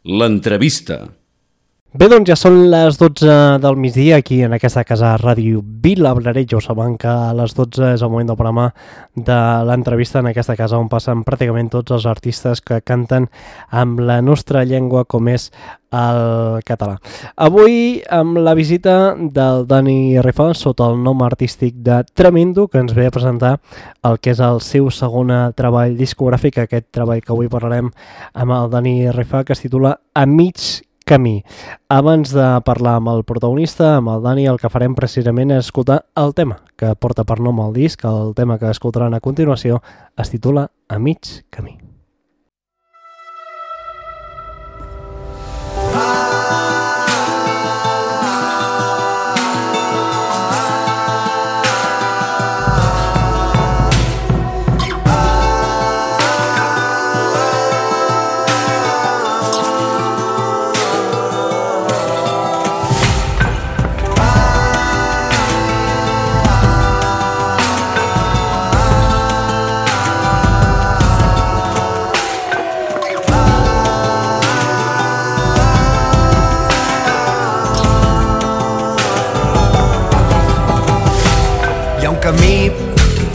L'entrevista. Bé, doncs ja són les 12 del migdia aquí en aquesta casa Ràdio Vilablareix. Ja ho saben que a les 12 és el moment del programa de l'entrevista en aquesta casa on passen pràcticament tots els artistes que canten amb la nostra llengua com és el català. Avui amb la visita del Dani Rifà sota el nom artístic de Tremendo, que ens ve a presentar el que és el seu segon treball discogràfic, aquest treball que avui parlarem amb el Dani Rifà, que es titula A mig camí. Abans de parlar amb el protagonista, amb el Dani, el que farem precisament és escoltar el tema que porta per nom el disc. El tema que escoltaran a continuació es titula A mig camí. Camí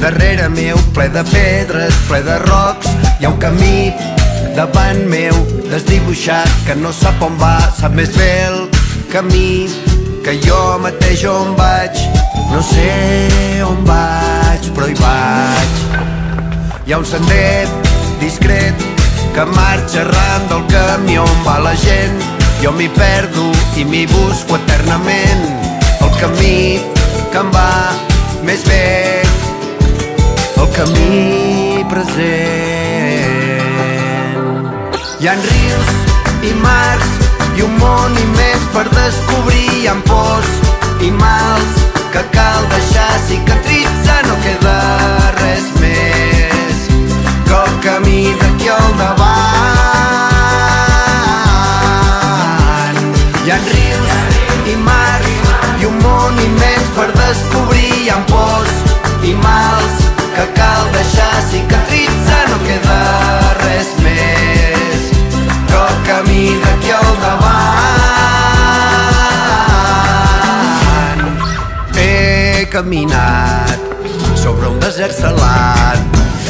darrere meu, ple de pedres, ple de rocs. Hi ha un camí davant meu, desdibuixat, que no sap on va, sap més bé el camí que jo mateix on vaig. No sé on vaig, però hi vaig. Hi ha un sender discret que marxa arran del camí on va la gent. Jo m'hi perdo i m'hi busco eternament. El camí que em va més bé, el camí present. Hi ha rius i mars i un món immens per descobrir. Hi ha pors i mals que cal deixar cicatritzar. No queda res més que el camí d'aquí al davant. Hi ha rius i mars i un món immens per descobrir. Hi ha pors i mals que cal deixar cicatritzar. No queda res més que el camí d'aquí al davant. He caminat sobre un desert salat.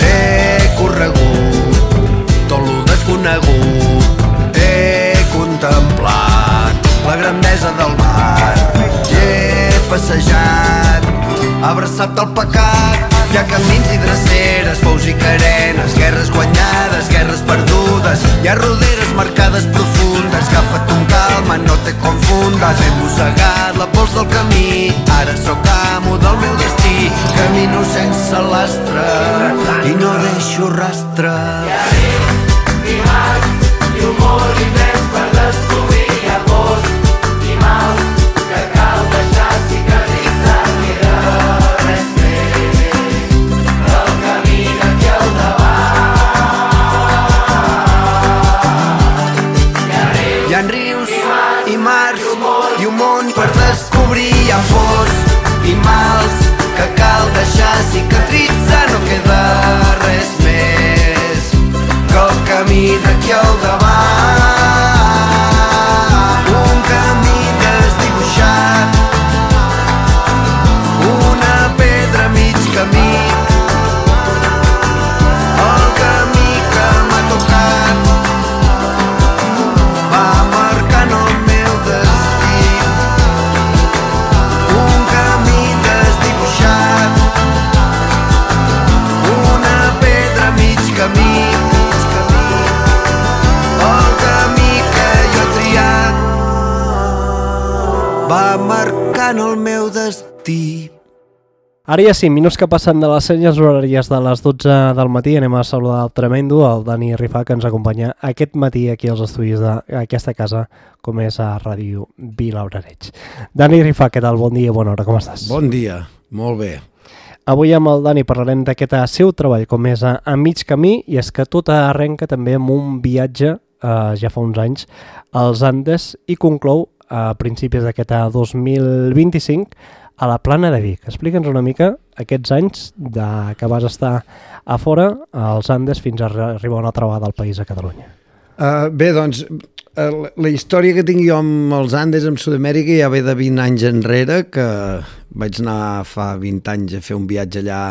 He corregut tot lo desconegut. He contemplat la grandesa del mar. He passejat abraçat al pecat. Hi ha camins i dreceres, pous i carenes, guerres guanyades, guerres perdudes. Hi ha roderes marcades profundes. Agafa't un calma, no te confundes. He mossegat la pols del camí, ara sóc amo del meu destí. Camino sense lastre i no deixo rastre. Hi ha rius i mars i un món immens per descobrir. Hi ha pors i mals que cal deixar cicatritzar. Queda res més del camí d'aquí al davant. Hi ha rius i mars i un món per descobrir. Hi ha pors i mals que cal deixar cicatritzar. No queda res més que el camí d'aquí al davant. Un camí desdibuixat, una pedra a mig camí. El camí que m'ha tocat va marcant el meu destí. Un camí desdibuixat, una pedra a mig camí. El camí que jo he triat va marcant el meu destí. Ara ja 5 minuts que passen de les senyes horàries de les 12 del matí. Anem a saludar el Tremendo, el Dani Rifà, que ens acompanya aquest matí aquí als estudis d'aquesta casa, com és a Ràdio Vilablareix. Dani Rifà, què tal? Bon dia, bona hora, com estàs? Bon dia, molt bé. Avui amb el Dani parlarem d'aquest seu treball, com és a mig camí, i és que tot arrenca també amb un viatge, ja fa uns anys, als Andes, i conclou a principis d'aquest 2025 a la Plana de Vic. Explica'ns una mica aquests anys que vas estar a fora, als Andes, fins a arribar una altra vegada al país, a Catalunya. Bé, doncs, la història que tinc jo amb els Andes, amb Sud-amèrica, ja ve de 20 anys enrere, que vaig anar fa 20 anys a fer un viatge allà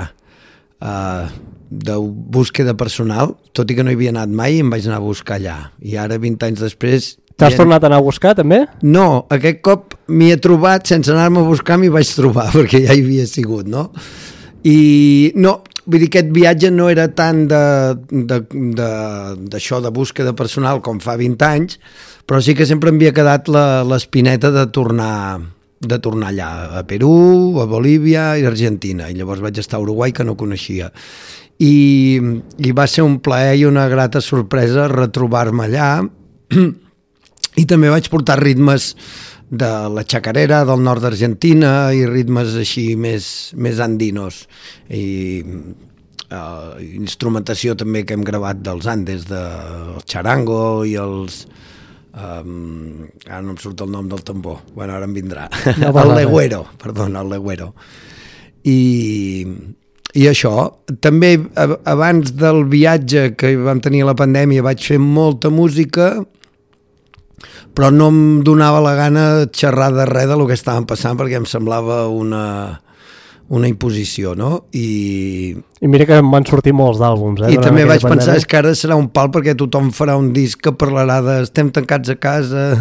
de búsqueda personal, tot i que no hi havia anat mai, em vaig anar a buscar allà. I ara, 20 anys després... T'has tornat a anar a buscar, també? No, aquest cop m'hi he trobat, sense anar-me a buscar m'hi vaig trobar, perquè ja hi havia sigut, no? I no, vull dir, aquest viatge no era tant d'això de búsqueda personal com fa 20 anys, però sí que sempre em havia quedat l'espineta de tornar allà, a Perú, a Bolívia i a Argentina, i llavors vaig estar a Uruguai, que no coneixia. I va ser un plaer i una grata sorpresa retrobar-me allà, i també vaig portar ritmes de la chacarera del nord d'Argentina i ritmes així més andinos, i instrumentació també que hem gravat dels Andes, del charango i els... ara no em surt el nom del tambor, bueno, ara em vindrà, no, el legüero, perdona, el legüero. I això, també abans del viatge que vam tenir a la pandèmia vaig fer molta música, però no em donava la gana de xerrar de res del que estaven passant, perquè em semblava una imposició, no? I mira que em van sortir molts d'àlbums. I també vaig pensar, és que ara serà un pal perquè tothom farà un disc que parlarà de estem tancats a casa,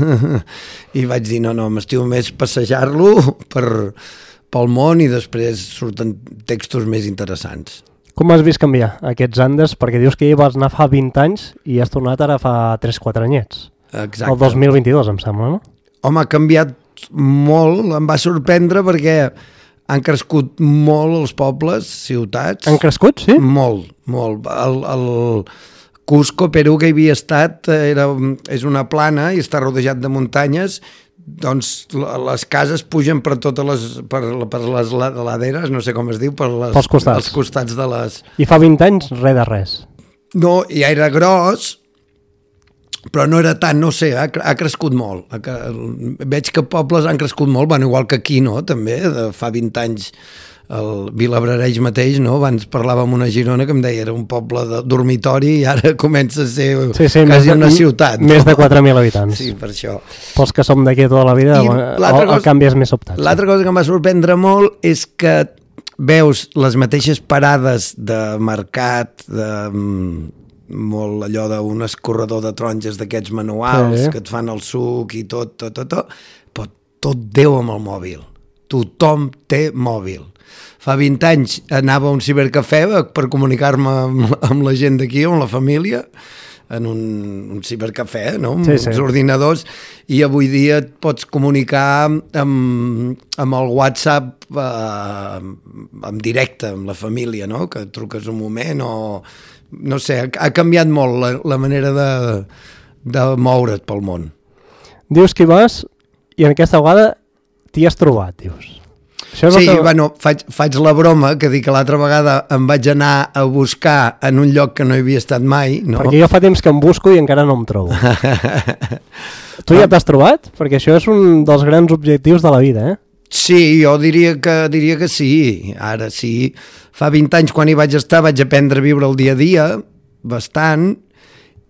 i vaig dir, no, m'estimo més passejar-lo pel món i després surten textos més interessants. Com has vist canviar aquests Andes? Perquè dius que hi vas anar fa 20 anys i has tornat ara fa 3-4 anyets. Exacte. El 2022, em sembla, no? Home, ha canviat molt, em va sorprendre perquè han crescut molt els pobles, ciutats. Han crescut, sí? Molt, molt. El Cusco, Perú, que hi havia estat, és una plana i està rodejat de muntanyes, doncs les cases pugen per totes per les laderes, no sé com es diu, pels costats. Els costats de les... I fa 20 anys res de res. No, ja era gros, però no era tant, no sé, ha crescut molt. Veig que pobles han crescut molt, bueno, igual que aquí, no?, també, fa 20 anys el Vilabrareix mateix, no?, abans parlava amb una Girona que em deia era un poble de dormitori i ara comença a ser quasi una ciutat. Més de 4.000 habitants. Sí, per això. Pels que som d'aquí tota la vida, el canvi és més sobtat. L'altra cosa que em va sorprendre molt és que veus les mateixes parades de mercat, molt allò d'un escorredor de taronges d'aquests manuals, sí, que et fan el suc i tot, però tot Déu amb el mòbil. Tothom té mòbil. Fa 20 anys anava a un cibercafè per comunicar-me amb la gent d'aquí, amb la família, en un cibercafè, no? Amb uns ordinadors, i avui dia et pots comunicar amb el WhatsApp en directe amb la família, no?, que truques un moment o... No sé, ha canviat molt la manera de moure't pel món. Dius que hi vas i en aquesta vegada t'hi has trobat, dius. Sí, bueno, faig la broma que dic que l'altra vegada em vaig anar a buscar en un lloc que no hi havia estat mai, no? Perquè jo fa temps que em busco i encara no em trobo. Tu ja t'has trobat? Perquè això és un dels grans objectius de la vida, eh? Sí, jo diria que sí, ara sí. Fa 20 anys quan hi vaig estar vaig aprendre a viure el dia a dia, bastant,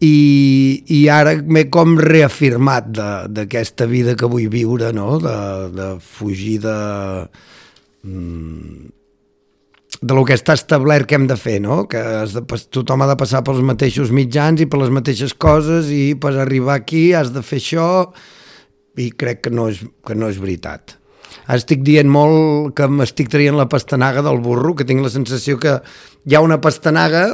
i ara m'he com reafirmat d'aquesta vida que vull viure, no?, de fugir de lo que està establert que hem de fer, no?, que tothom ha de passar pels mateixos mitjans i per les mateixes coses, i per arribar aquí has de fer això, i crec que no és veritat. Estic dient molt que m'estic traient la pastanaga del burro, que tinc la sensació que hi ha una pastanaga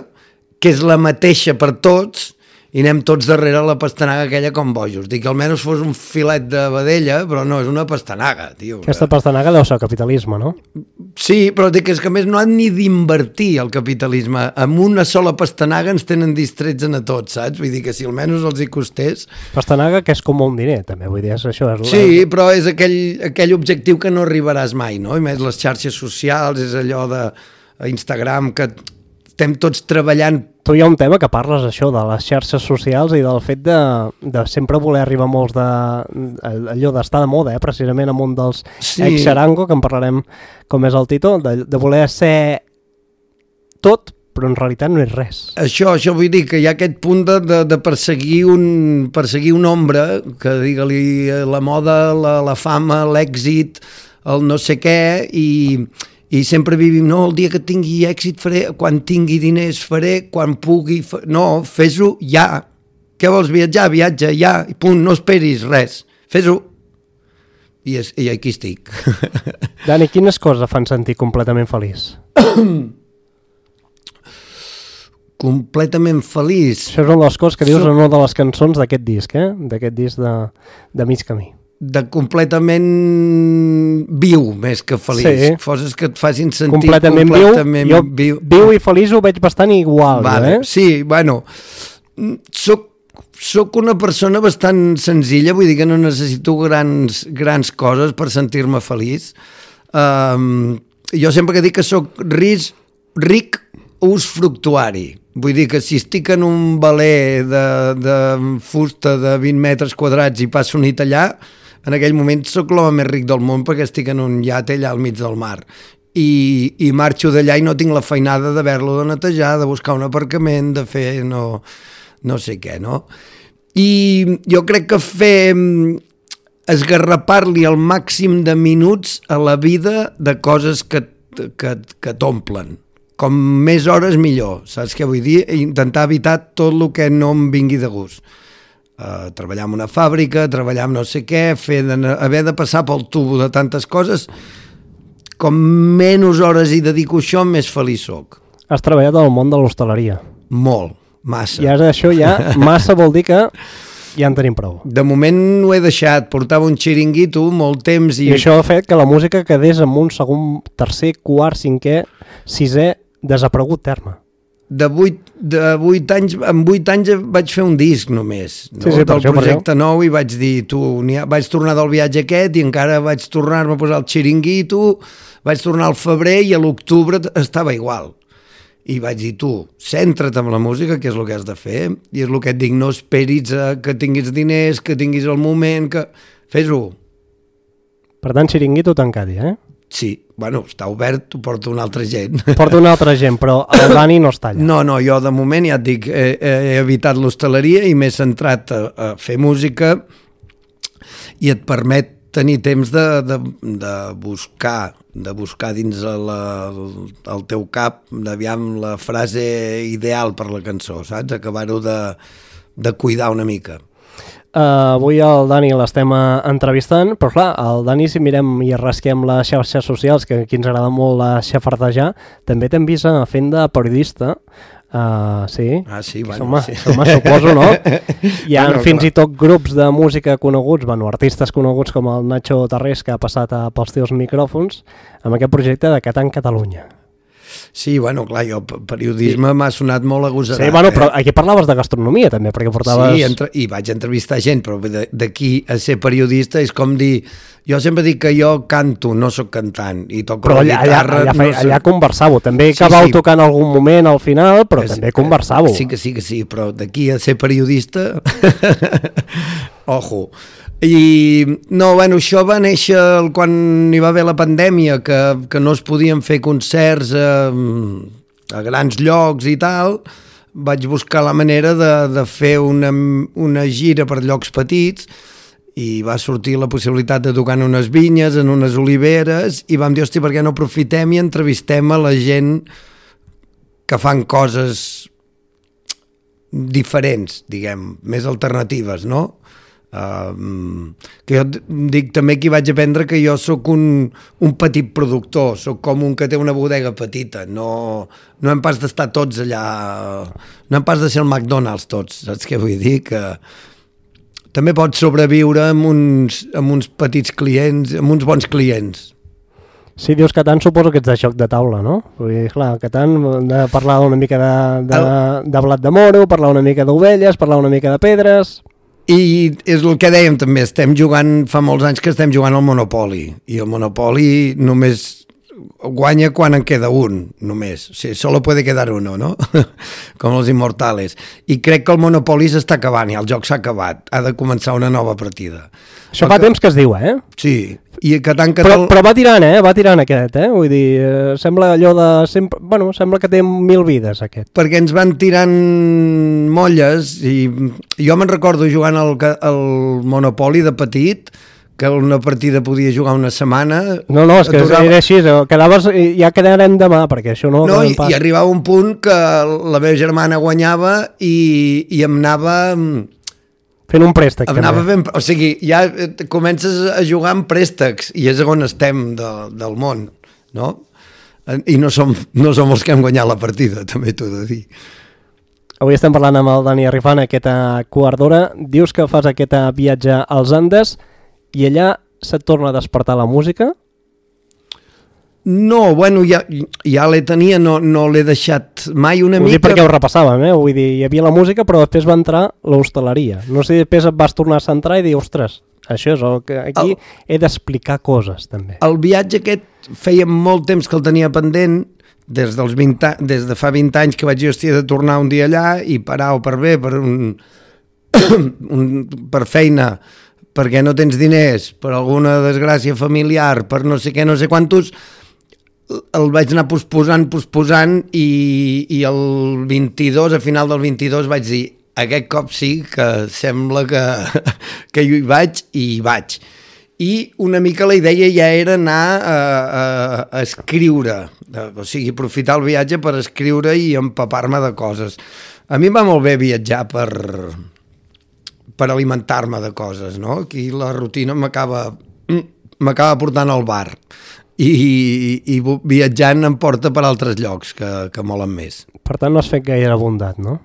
que és la mateixa per tots i anem tots darrere la pastanaga aquella com bojos. Dic que almenys fos un filet de vedella, però no, és una pastanaga, tio. Aquesta pastanaga deu ser capitalisme, no? Sí, però dic que és que a més no han ni d'invertir el capitalisme. Amb una sola pastanaga ens tenen distrets a tots, saps? Vull dir que si almenys els hi costés... Pastanaga que és com un diner, també, vull dir, això és... Sí, però és aquell objectiu que no arribaràs mai, no? I més les xarxes socials, és allò de Instagram que estem tots treballant... Tu hi ha un tema que parles, això, de les xarxes socials i del fet de sempre voler arribar a molts allò d'estar de moda, precisament amb un dels ex-xarango, que en parlarem com és el Tito, de voler ser tot però en realitat no és res. Això vull dir que hi ha aquest punt de perseguir un ombra, que digue-li la moda, la fama, l'èxit, el no sé què, i sempre vivim, no, el dia que tingui èxit faré, quan tingui diners faré, quan pugui, no, fes-ho ja. Què vols viatjar? Viatja, ja, i punt, no esperis res, fes-ho. I aquí estic. Dani, quines coses fan sentir completament feliç? Completament feliç. Això és una de les coses que dius en una de les cançons d'aquest disc, d'aquest disc de Mig Camí. De completament viu, més que feliç. Sí. Coses que et facin sentir completament viu. Viu i feliç ho veig bastant igual. Vale. Sí, bueno, soc una persona bastant senzilla, vull dir que no necessito grans coses per sentir-me feliç. Jo sempre que dic que soc ric usfructuari. Vull dir que si estic en un veler de fusta de 20 metres quadrats i passo nit allà, en aquell moment soc l'home més ric del món perquè estic en un iate allà al mig del mar. I marxo d'allà i no tinc la feinada d'haver-lo de netejar, de buscar un aparcament, de fer no sé què, no? I jo crec que fer esgarrapar-li el màxim de minuts a la vida de coses que t'omplen. Com més hores millor, saps què vull dir? Intentar evitar tot el que no em vingui de gust. Treballar en una fàbrica, treballar en no sé què, haver de passar pel tubo de tantes coses, com menys hores hi dedico això, més feliç soc. Has treballat al món de l'hostaleria. Molt, massa. I ara això ja, massa vol dir que ja en tenim prou. De moment ho he deixat, portava un xiringuito molt temps i això ha fet que la música quedés en un segon, tercer, quart, cinquè, sisè, desaparegut terme. De 8 anys, en 8 anys vaig fer un disc només, no? Sí, del projecte nou, i vaig dir, vaig tornar del viatge aquest i encara vaig tornar-me a posar el xiringuito, vaig tornar al febrer i a l'octubre estava igual. I vaig dir, centra't en la música, que és el que has de fer, i és el que et dic, no esperis que tinguis diners, que tinguis el moment, que fes-ho. Per tant, xiringuito tancat, Sí, bueno, està obert, ho porta una altra gent. Porta una altra gent, però el Dani no està allà. No, jo de moment ja et dic, he evitat l'hostaleria i m'he centrat a fer música, i et permet tenir temps de buscar dins el teu cap, d'aviam la frase ideal per la cançó, saps? Acabar-ho de cuidar una mica. Avui el Dani l'estem entrevistant, però clar, el Dani, si mirem i rasquem les xarxes socials, que aquí ens agrada molt xafardejar, també t'hem vist fent de periodista. Sí, sí, bueno, suposo, no? Hi ha fins i tot grups de música coneguts, artistes coneguts com el Nacho Tarrés, que ha passat pels teus micròfons amb aquest projecte de Catan Catalunya. Sí, bueno, clar, jo periodisme m'ha sonat molt agosarat. Sí, bueno, però aquí parlaves de gastronomia també, perquè portaves... Sí, i vaig entrevistar gent, però d'aquí a ser periodista és com dir... Jo sempre dic que jo canto, no sóc cantant, i toco la guitarra... Però allà conversàveu, també acabàveu tocant en algun moment al final, però també conversàveu. Sí, però d'aquí a ser periodista... Ojo... I no, bueno, això va néixer quan hi va haver la pandèmia, que no es podien fer concerts a grans llocs i tal. Vaig buscar la manera de fer una gira per llocs petits i va sortir la possibilitat de tocar en unes vinyes, en unes oliveres, i vam dir, hòstia, per què no aprofitem i entrevistem a la gent que fan coses diferents, diguem, més alternatives, no? Que jo dic també que hi vaig aprendre que jo sóc un petit productor, sóc com un que té una bodega petita, no hem pas d'estar tots allà, no hem pas de ser el McDonald's tots, saps què vull dir? Que també pots sobreviure amb uns petits clients, amb uns bons clients. Sí, dius Catan, suposo que ets de joc de taula, no? Vull dir, clar, Catan, de parlar una mica de blat de moro, parlar una mica d'ovelles, parlar una mica de pedres... I és el que dèiem també, fa molts anys que estem jugant al Monopoly, i el Monopoly només guanya quan en queda un, només. O sigui, solo puede quedar uno, no? Com els Immortales. I crec que el Monopoly s'està acabant, i el joc s'ha acabat. Ha de començar una nova partida. Això fa temps que es diu, Sí, i que tant que... Però va tirant, va tirant aquest, Vull dir, sembla allò de... Bueno, sembla que té 1000 vides, aquest. Perquè ens van tirant molles, i jo me'n recordo jugant al Monopoly de petit, que una partida podia jugar una setmana... No, és que era així, quedaves, ja quedarem demà, perquè això no... No, i arribava un punt que la meva germana guanyava i em anava... Fent un préstec, també. O sigui, ja comences a jugar amb préstecs, i és on estem del món, no? I no som els que hem guanyat la partida, també t'ho he de dir. Avui estem parlant amb el Dani Arifant, aquesta quart d'hora. Dius que fas aquest viatge als Andes i allà se't torna a despertar la música? No, bueno, ja l'he tenia, no l'he deixat mai una mica... Ho dic perquè ho repassàvem, Vull dir, hi havia la música, però després va entrar l'hostaleria. No sé si després et vas tornar a centrar i dir, ostres, això és el que aquí he d'explicar coses, també. El viatge aquest feia molt temps que el tenia pendent, des de fa 20 anys que vaig dir, hòstia, de tornar un dia allà i parar o per bé, per feina, perquè no tens diners, per alguna desgràcia familiar, per no sé què, no sé quantos... el vaig anar posposant i el 22, a final del 22 vaig dir, aquest cop sí que sembla que jo hi vaig i hi vaig. I una mica la idea ja era anar a escriure, o sigui, aprofitar el viatge per escriure i empapar-me de coses. A mi em va molt bé viatjar per alimentar-me de coses, no? Aquí la rutina m'acaba portant al bar. I viatjant em porta per altres llocs que molen més. Per tant, no has fet gaire bondat, no?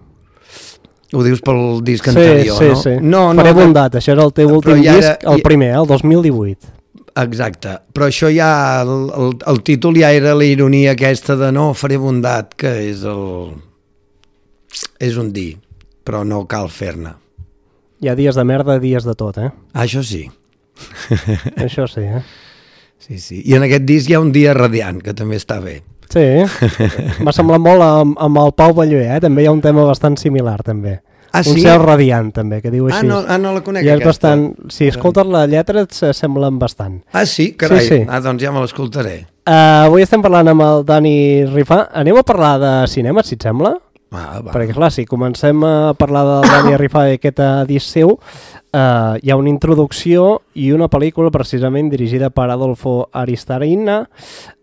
Ho dius pel disc anterior, no? Sí. Faré bondat, això era el teu últim disc, el primer, el 2018. Exacte, però això ja, el títol ja era la ironia aquesta de no, faré bondat, que és un dir, però no cal fer-ne. Hi ha dies de merda, dies de tot, Això sí. Això sí, Sí. I en aquest disc hi ha un dia radiant, que també està bé. Sí, m'ha semblat molt amb el Pau Balluer, també hi ha un tema bastant similar, també. Ah, sí? Un cel radiant, també, que diu així. No la conec, aquesta. Bastant... Si escoltes la lletra et semblen bastant. Ah, sí? Carai. Sí. Doncs ja me l'escoltaré. Avui estem parlant amb el Dani Rifà. Anem a parlar de cinema, si et sembla? Va. Perquè, clar, si comencem a parlar del Dani Rifà i aquest disc seu, hi ha una introducció i una pel·lícula precisament dirigida per Adolfo Aristarena.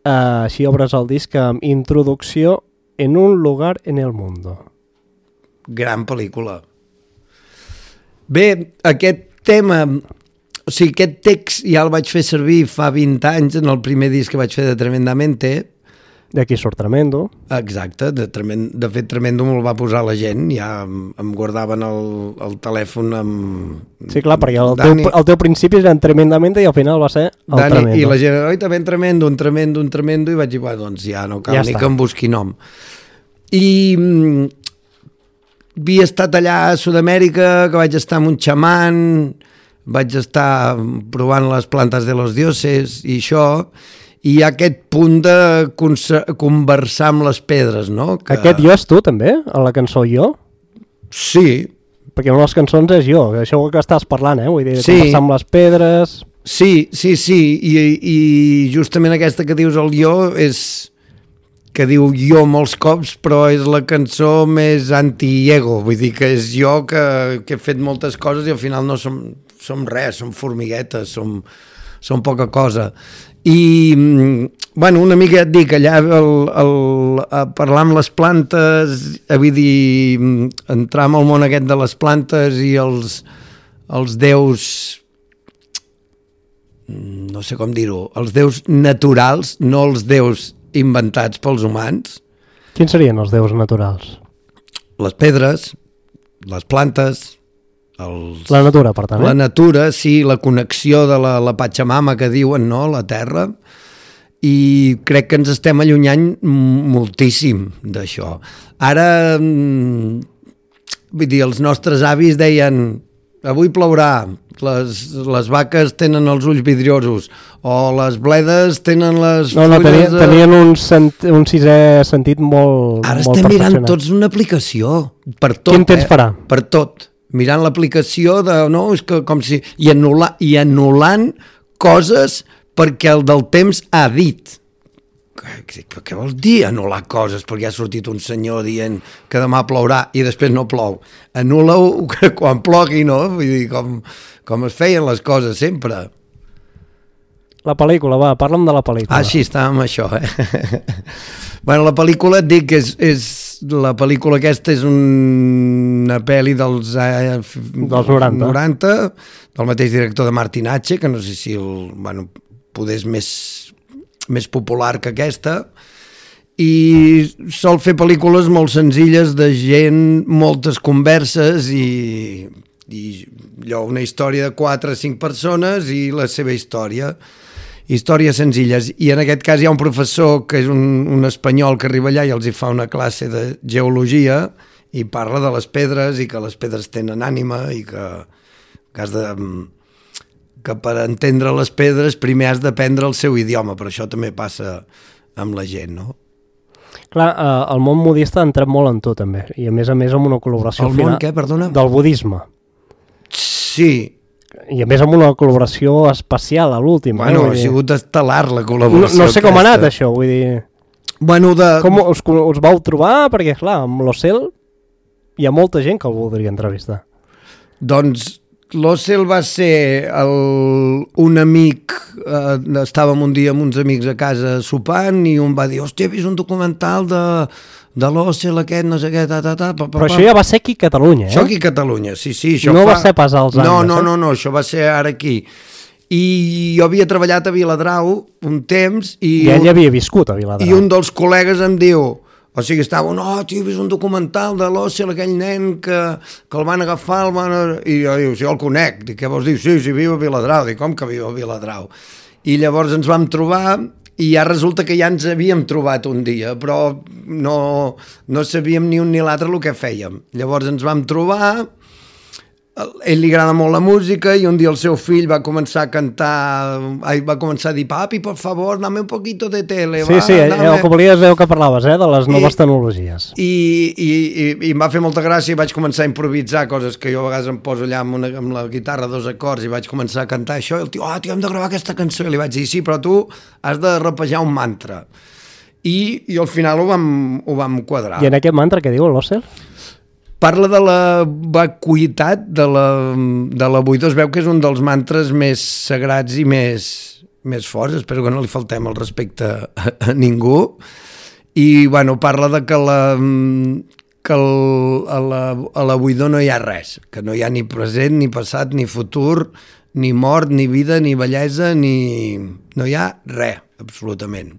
Així obres el disc amb introducció en un lugar en el mundo. Gran pel·lícula. Bé, aquest tema, o sigui, aquest text ja el vaig fer servir fa 20 anys en el primer disc que vaig fer de Tremendamente. D'aquí surt Tremendo. Exacte, de fet Tremendo me'l va posar la gent, ja em guardaven el telèfon amb... Sí, clar, perquè el teu principi era en Tremendamente i al final va ser el Dani, Tremendo. I la gent, oi, també un tremendo, i vaig dir, doncs ja no cal ja ni està. que em busqui nom. I havia estat allà a Sud-amèrica, que vaig estar amb un xaman, vaig estar provant les plantes de los dioses i això, i hi ha aquest punt de conversar amb les pedres, no? Aquest jo és tu, també? A la cançó Jo? Sí. Perquè una de les cançons és jo, això que estàs parlant, vull dir, sí. Conversar amb les pedres... Sí, i justament aquesta que dius el jo és... que diu jo molts cops, però és la cançó més anti-ego, vull dir que és jo que he fet moltes coses i al final no som res, som formiguetes, som poca cosa. I, bueno, una mica et dic, allà a parlar amb les plantes, vull dir, entrar en el món aquest de les plantes i els déus, no sé com dir-ho, els déus naturals, no els déus inventats pels humans. Quins serien els déus naturals? Les pedres, les plantes, la natura, per tant. La natura, sí, la connexió de la Pachamama que diuen, no?, la terra, i crec que ens estem allunyant moltíssim d'això. Ara, vull dir, els nostres avis deien avui plourà, les vaques tenen els ulls vidriosos, o les bledes tenen les fulles... Tenien un sisè sentit molt Ara molt estem mirant perfeccionat. tots una aplicació, per tot. Quin temps farà? Per tot. Mirant l'aplicació de... No, és que com si... I anul·lant coses perquè el del temps ha dit. Què vols dir anul·lar coses? Perquè ha sortit un senyor dient que demà plourà i després no plou. Anul·la-ho quan plogui, no? Vull dir, com es feien les coses sempre. La pel·lícula, va, parla'm de la pel·lícula. Ah, sí, estàvem això, Bueno, la pel·lícula, et dic que la pel·lícula aquesta és una pel·li dels 90, del mateix director de Martin H, que no sé si poder és més popular que aquesta, i sol fer pel·lícules molt senzilles de gent, moltes converses i allò, una història de 4 o 5 persones i la seva històries senzilles. I en aquest cas hi ha un professor que és un espanyol que arriba allà i els hi fa una classe de geologia i parla de les pedres i que les pedres tenen ànima i que per entendre les pedres primer has d'aprendre el seu idioma, però això també passa amb la gent, no? Clar, el món budista ha entrat molt en tot, també, i a més amb una col·laboració El món, què, perdona? Del budisme. Sí. I a més amb una col·laboració especial a l'últim. Bueno, ha sigut estel·lar la col·laboració. No sé com ha anat això, vull dir... Bueno, com us vau trobar? Perquè, clar, amb l'Ocel hi ha molta gent que el voldria entrevistar. Doncs l'Ocel va ser un amic, estàvem un dia amb uns amics a casa sopant i un va dir, hòstia, he vist un documental de l'Ocel aquest, no sé què, Però això ja va ser aquí a Catalunya, Això aquí a Catalunya, sí. Això no va ser pas als Andes, No, això va ser ara aquí. I jo havia treballat a Viladrau un temps i ell havia viscut a Viladrau. I un dels col·legues em diu, o sigui, estava, tio, he vist un documental de l'Ocel, aquell nen que el van agafar, i jo diu, sí, el conec. Dic, què vols dir? Sí, viu a Viladrau. Dic, com que viu a Viladrau? I llavors ens vam trobar i ja resulta que ja ens havíem trobat un dia, però no sabíem ni un ni l'altre el que fèiem. Llavors ens vam trobar, a ell li agrada molt la música i un dia el seu fill va començar a cantar, va començar a dir, papi, por favor, dame un poquito de tele. Sí, el que volies veu que parlaves, de les noves tecnologies. I em va fer molta gràcia i vaig començar a improvisar coses que jo a vegades em poso allà amb la guitarra 2 acords i vaig començar a cantar això i el tio, tio, hem de gravar aquesta cançó. I li vaig dir, sí, però tu has de rapejar un mantra. I al final ho vam quadrar. I en aquest mantra què diu l'Ocel? Parla de la vacuïtat de la buida. Es veu que és un dels mantres més sagrats i més forts. Espero que no li faltem el respecte a ningú. I, parla de que a la buidor no hi ha res, que no hi ha ni present, ni passat, ni futur, ni mort, ni vida, ni bellesa, no hi ha res, absolutament.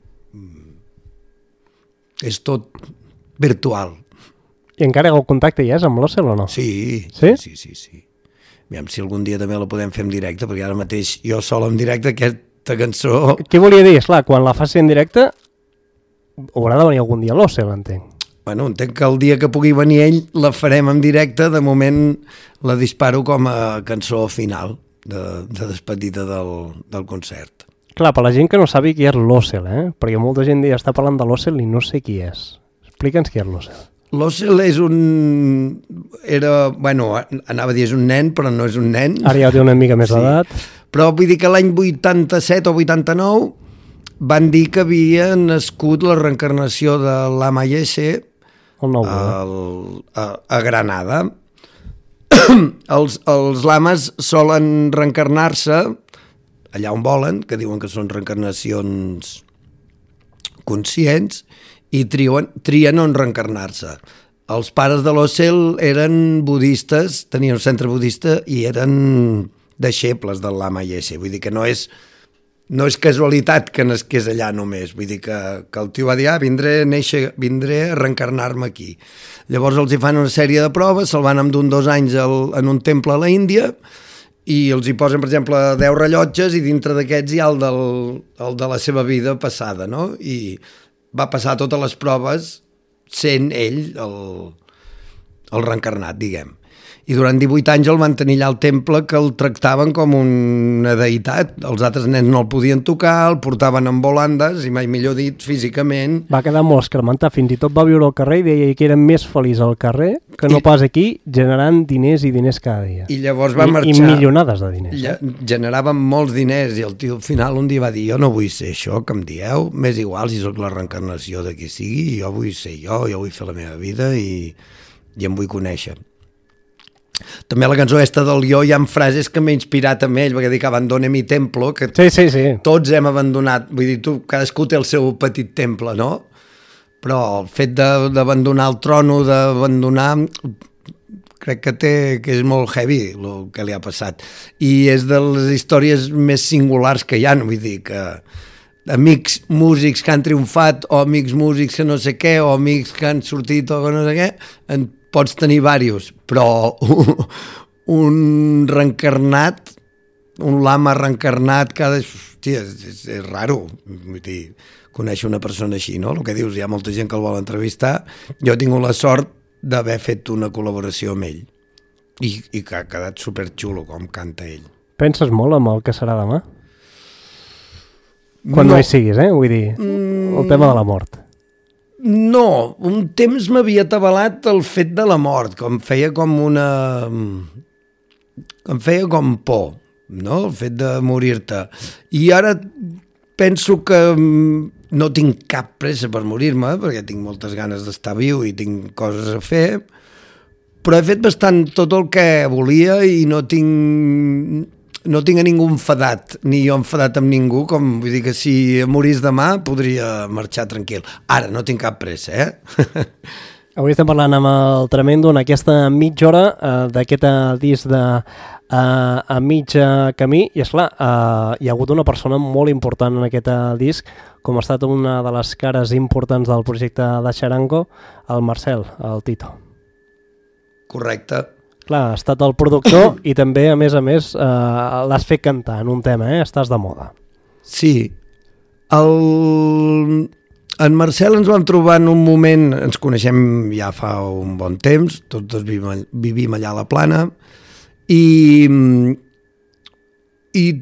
És tot virtual. I encara el contacte hi és amb l'Ocel o no? Sí. Aviam si algun dia també la podem fer en directe, perquè ara mateix jo sol en directe aquesta cançó... Què volia dir? Esclar, quan la faci en directe haurà de venir algun dia l'Ocel, entenc. Bueno, entenc que el dia que pugui venir ell la farem en directe, de moment la disparo com a cançó final de despedida del concert. Clar, per la gent que no sabi qui és l'Ocel, perquè molta gent està parlant de l'Ocel i no sé qui és. Explica'ns qui és l'Ocel. L'Ocel és anava a dir és un nen, però no és un nen. Ara ja té una mica més d'edat. Però vull dir que l'any 87 o 89 van dir que havia nascut la reencarnació de l'Ama Yese a Granada. Els lames solen reencarnar-se allà on volen, que diuen que són reencarnacions conscients, i trien on reencarnar-se. Els pares de l'Ocel eren budistes, tenien un centre budista i eren deixebles del Lama Yese. Vull dir que no és casualitat que nasqués allà només. Vull dir que el tio va dir, vindré a reencarnar-me aquí. Llavors els hi fan una sèrie de proves, se'l van endur 2 anys en un temple a la Índia i els hi posen, per exemple, 10 rellotges i dintre d'aquests hi ha el de la seva vida passada, no? I va passar totes les proves sent ell el reencarnat, diguem. I durant 18 anys el van tenir allà al temple, que el tractaven com una deïtat. Els altres nens no el podien tocar, el portaven en volandes, i mai millor dit, físicament. Va quedar molt escarmentat, fins i tot va viure al carrer i deia que era més feliç al carrer que no pas aquí, generant diners i diners cada dia. I llavors va marxar. I milionades de diners. Generaven molts diners, i el tio al final un dia va dir: jo no vull ser això que em dieu, m'és igual si sóc la reencarnació de qui sigui, jo vull ser jo vull fer la meva vida i em vull conèixer. També a la cançó esta del Jo hi ha frases que m'he inspirat amb ell, perquè dic abandone mi templo, que sí. tots hem abandonat, vull dir, cadascú té el seu petit temple, no? Però el fet d'abandonar el trono, d'abandonar, crec que és molt heavy el que li ha passat. I és de les històries més singulars que hi ha, vull dir que amics músics que han triomfat, o amics músics que no sé què, o amics que han sortit o no sé què, en pots tenir diversos, però un reencarnat, un lama reencarnat, hòstia, és raro, vull dir, conèixer una persona així, no? El que dius, hi ha molta gent que el vol entrevistar. Jo he tingut la sort d'haver fet una col·laboració amb ell i que ha quedat superxulo com canta ell. Penses molt en el que serà demà? Quan no hi siguis, vull dir, el tema de la mort. No, un temps m'havia atabalat el fet de la mort, com feia com por, no? El fet de morir-te. I ara penso que no tinc cap pressa per morir-me, perquè tinc moltes ganes d'estar viu i tinc coses a fer, però he fet bastant tot el que volia i no tinc a ningú enfadat, ni jo enfadat amb ningú, com vull dir que si morís demà podria marxar tranquil. Ara no tinc cap pressa, Avui estem parlant amb el Tremendo en aquesta mitja hora d'aquest disc de A mig camí, i esclar, hi ha hagut una persona molt important en aquest disc, com ha estat una de les cares importants del projecte de Xarango, el Marcel, el Tito. Correcte. Clar, ha estat el productor i també, a més, l'has fet cantar en un tema, Estàs de moda. Sí. En Marcel ens vam trobar en un moment, ens coneixem ja fa un bon temps, tots dos vivim allà a la Plana, i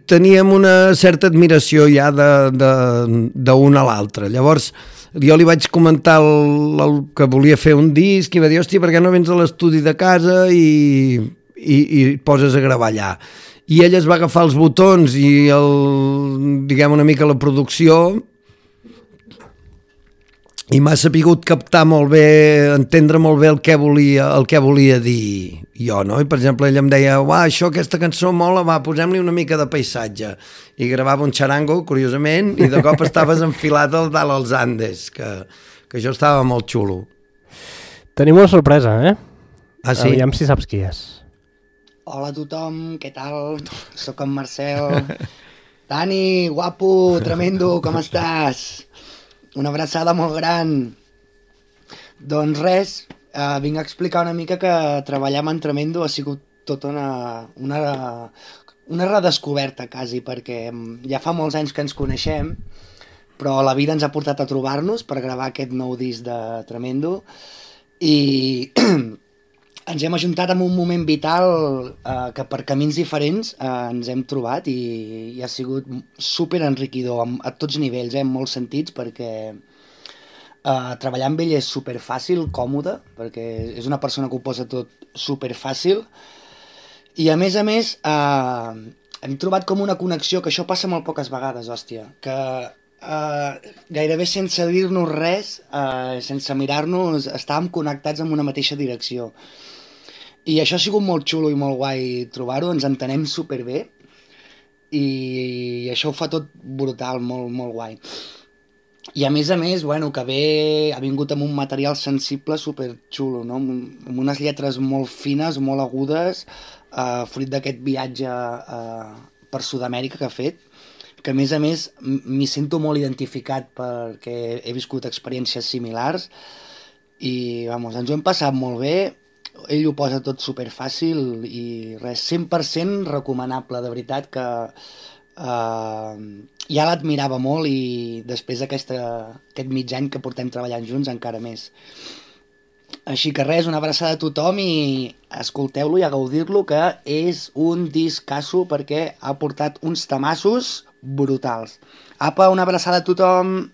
teníem una certa admiració ja d'un a l'altre. Llavors, jo li vaig comentar el que volia fer un disc i va dir, hòstia, per què no vens a l'estudi de casa i poses a gravar allà? I ell es va agafar els botons i diguem una mica la producció, i m'ha sapigut captar molt bé, entendre molt bé el que volia dir jo, no? I per exemple ell em deia, aquesta cançó mola, posem-li una mica de paisatge, i gravava un xarango, curiosament, i de cop estaves enfilat al dalt als Andes, que això estava molt xulo. Tenim una sorpresa, Ah, sí? Aviam si saps qui és. Hola a tothom, què tal? Soc en Marcel. Dani, guapo, tremendo, com estàs? Una abraçada molt gran. Doncs res, vinc a explicar una mica que treballar amb en Tremendo ha sigut tota una redescoberta quasi, perquè ja fa molts anys que ens coneixem, però la vida ens ha portat a trobar-nos per gravar aquest nou disc de Tremendo i ens hem ajuntat en un moment vital que per camins diferents ens hem trobat i ha sigut super enriquidor a tots nivells, en molts sentits, perquè treballar amb ell és super fàcil, còmode, perquè és una persona que ho posa tot super fàcil, i a més hem trobat com una connexió, que això passa molt poques vegades, hòstia, que gairebé sense dir-nos res, sense mirar-nos, estàvem connectats en una mateixa direcció. I això ha sigut molt xulo i molt guai trobar-ho, ens entenem superbé i això ho fa tot brutal, molt, molt guai. I a més, bueno, que ha vingut amb un material sensible superxulo, no? Amb unes lletres molt fines, molt agudes, fruit d'aquest viatge per Sud-amèrica que ha fet, que a més m'hi sento molt identificat perquè he viscut experiències similars i, ens ho hem passat molt bé. Ell ho posa tot superfàcil i res, 100% recomanable, de veritat que ja l'admirava molt i després d'aquest mig any que portem treballant junts encara més. Així que res, una abraçada a tothom i escolteu-lo i a gaudir-lo, que és un discasso perquè ha portat uns tamassos brutals. Apa, una abraçada a tothom.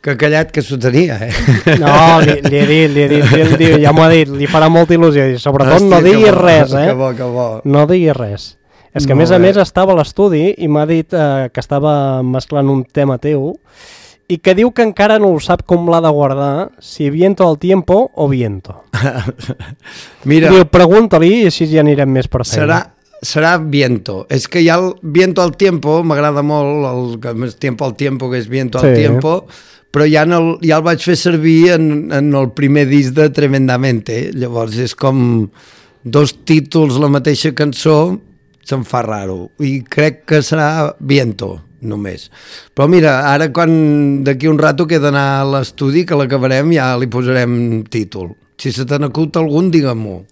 Que callat que s'ho tenia, No, li he dit, ja m'ho ha dit, li farà molta il·lusió. Sobretot no diguis res, Que bo, que bo. No diguis res. És que a més estava a l'estudi i m'ha dit que estava mesclant un tema teu i que diu que encara no ho sap com l'ha de guardar, si viento al tiempo o viento. Mira, Diu, pregunta-li i així ja anirem més per feina. serà viento. És que ja el viento al tiempo m'agrada molt, el tiempo al tiempo, que és viento al tiempo, però ja el vaig fer servir en el primer disc de Tremendamente. Llavors és com dos títols la mateixa cançó, se'm fa raro. I crec que serà viento, només. Però mira, ara quan d'aquí un rato que he d'anar a l'estudi, que l'acabarem, ja li posarem títol. Si se te n'acut algun, digue-m'ho.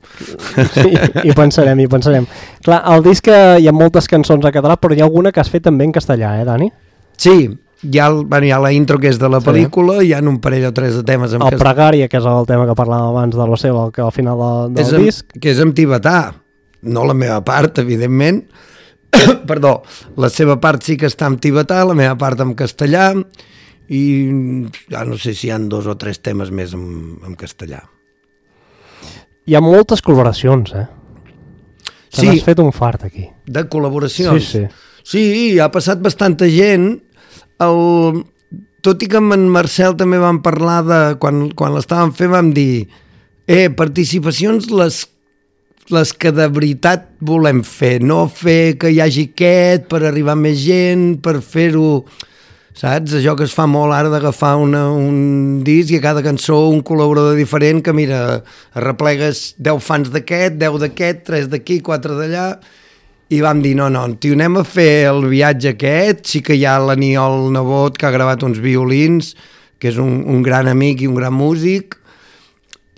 Sí, hi pensarem. Clar, al disc hi ha moltes cançons en català, però hi ha alguna que has fet també en castellà, Dani? Sí, hi ha la intro que és de la pel·lícula, hi ha un parell o tres de temes en el Pregària, que és el tema que parlàvem abans de l'Ocel, que al final del disc. Que és en tibetà, no la meva part, evidentment. Perdó, la seva part sí que està en tibetà, la meva part en castellà, i ja no sé si hi ha 2 o 3 temes més en castellà. Hi ha moltes col·laboracions, Sí. N'has fet un fart aquí. De col·laboracions? Sí. Sí, ha passat bastanta gent. Tot i que amb en Marcel també vam parlar de... Quan l'estàvem fent vam dir participacions les que de veritat volem fer, no fer que hi hagi aquest per arribar a més gent, per fer-ho... Saps? Això que es fa molt ara d'agafar un disc i a cada cançó un col·laborador diferent que, mira, arreplegues 10 fans d'aquest, 10 d'aquest, 3 d'aquí, 4 d'allà, i vam dir, no, tio, anem a fer el viatge aquest. Sí que hi ha l'Aniol Nebot, que ha gravat uns violins, que és un gran amic i un gran músic.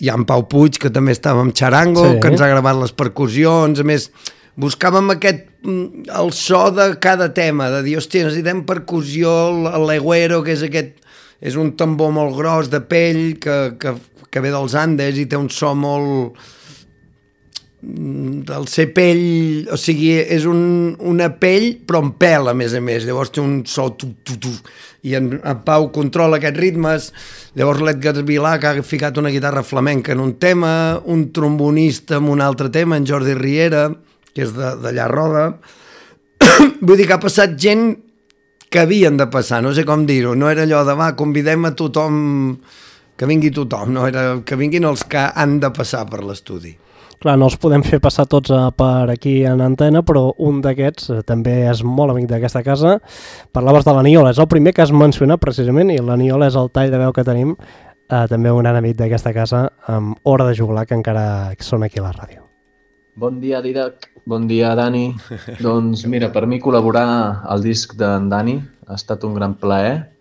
Hi ha en Pau Puig, que també estava amb Charango, que ens ha gravat les percussions. A més, buscàvem el so de cada tema, de dir, hòstia, necessitem percussió, l'egüero, que és un tambor molt gros de pell, que ve dels Andes i té un so molt... del ser pell, o sigui, és una pell però amb pèl, a més, llavors té un so i en Pau controla aquests ritmes. Llavors l'Edgar Vilà, que ha ficat una guitarra flamenca en un tema, un trombonista en un altre tema, en Jordi Riera, que és d'allà a Roda. Vull dir que ha passat gent que havien de passar, no sé com dir-ho, no era allò de convidem a tothom, que vingui tothom, no era que vinguin els que han de passar per l'estudi. Clar, no els podem fer passar tots per aquí en antena, però un d'aquests també és molt amic d'aquesta casa. Parlaves de l'Aniol, és el primer que has mencionat precisament, i l'Aniol és el tall de veu que tenim, també un gran amic d'aquesta casa, amb Hora de Juglar, que encara són aquí a la ràdio. Bon dia, Didac. Bon dia, Dani. Doncs mira, per mi col·laborar al disc d'en Dani ha estat un gran plaer,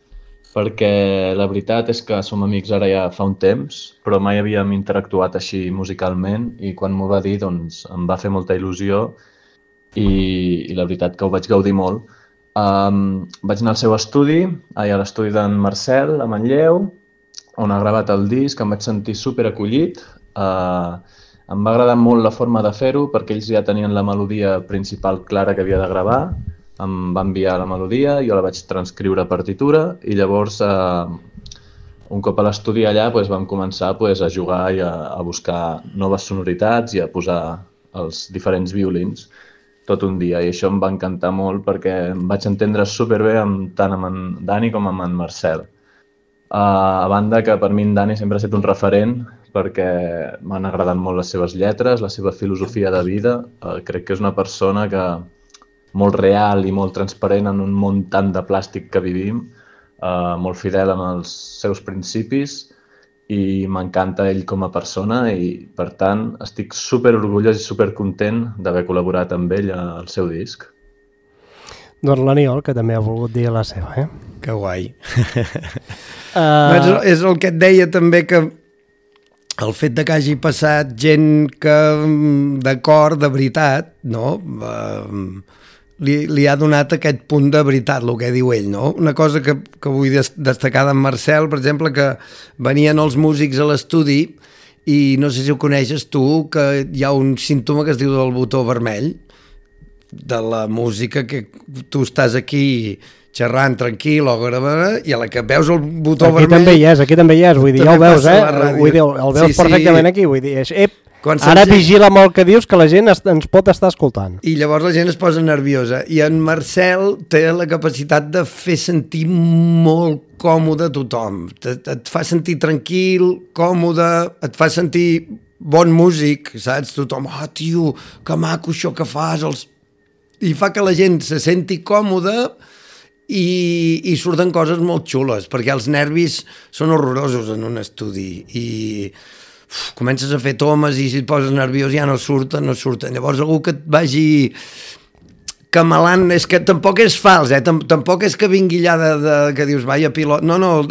perquè la veritat és que som amics ara ja fa un temps, però mai havíem interactuat així musicalment, i quan m'ho va dir doncs em va fer molta il·lusió i la veritat que ho vaig gaudir molt. Vaig anar al seu estudi, a l'estudi d'en Marcel, a Manlleu, on ha gravat el disc, em vaig sentir superacollit. Em va agradar molt la forma de fer-ho, perquè ells ja tenien la melodia principal clara que havia de gravar. Em va enviar la melodia, jo la vaig transcriure a partitura, i llavors, un cop a l'estudi allà, vam començar a jugar i a buscar noves sonoritats i a posar els diferents violins tot un dia, i això em va encantar molt perquè em vaig entendre superbé tant amb en Dani com amb en Marcel. A banda que per mi en Dani sempre ha estat un referent, perquè m'han agradat molt les seves lletres, la seva filosofia de vida. Crec que és una persona molt real i molt transparent en un món tant de plàstic que vivim, molt fidel amb els seus principis, i m'encanta ell com a persona, i per tant estic superorgullós i supercontent d'haver col·laborat amb ell al seu disc. Doncs l'Aniol, que també ha volgut dir la seva, Que guai. És el que et deia també, que el fet de que hagi passat gent que, d'acord, de veritat, no? li ha donat aquest punt de veritat, el que diu ell, no? Una cosa que vull destacar d'en Marcel, per exemple, que venien els músics a l'estudi i no sé si ho coneixes tu, que hi ha un símptoma que es diu del botó vermell, de la música, que tu estàs aquí xerrant tranquil o gravant, i a la que veus el botó vermell... Aquí també hi és, vull dir, ja ho veus, vull dir, el veus perfectament aquí, vull dir, ara vigila molt el que dius, que la gent ens pot estar escoltant. I llavors la gent es posa nerviosa, i en Marcel té la capacitat de fer sentir molt còmode a tothom, et fa sentir tranquil, còmode, et fa sentir bon músic, saps? Tothom, tio, que maco això que fas, i fa que la gent se senti còmoda i surten coses molt xules, perquè els nervis són horrorosos en un estudi i comences a fer tomes i si et poses nerviós ja no surten. Llavors algú que et vagi camelant, és que tampoc és fals, tampoc és que vingui allà que dius, vaja pilot, no,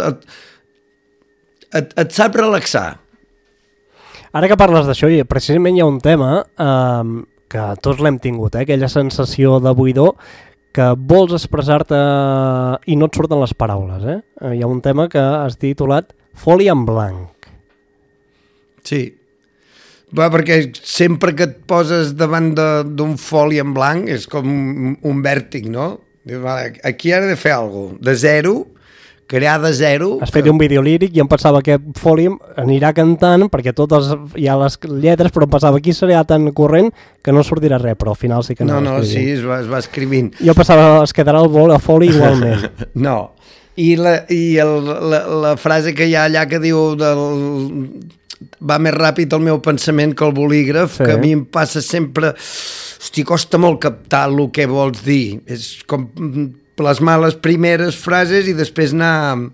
et sap relaxar. Ara que parles d'això, precisament hi ha un tema que tots l'hem tingut, aquella sensació de buidor, que vols expressar-te i no et surten les paraules. Hi ha un tema que has titulat Foli en blanc. Sí, perquè sempre que et poses davant d'un foli en blanc és com un vèrtic, no? Aquí ara he de fer alguna cosa, de zero, crear de zero... Has fet un vídeo líric i em pensava que Foli anirà cantant, perquè totes hi ha les lletres, però em pensava aquí serà tan corrent que no sortirà res, però al final sí que no. No, sí, es va escrivint. Jo pensava es quedarà el Foli igualment. No, i la frase que hi ha allà que diu va més ràpid el meu pensament que el bolígraf, que a mi em passa sempre... Hosti, costa molt captar el que vols dir. És com plasmar les primeres frases i després anar-ho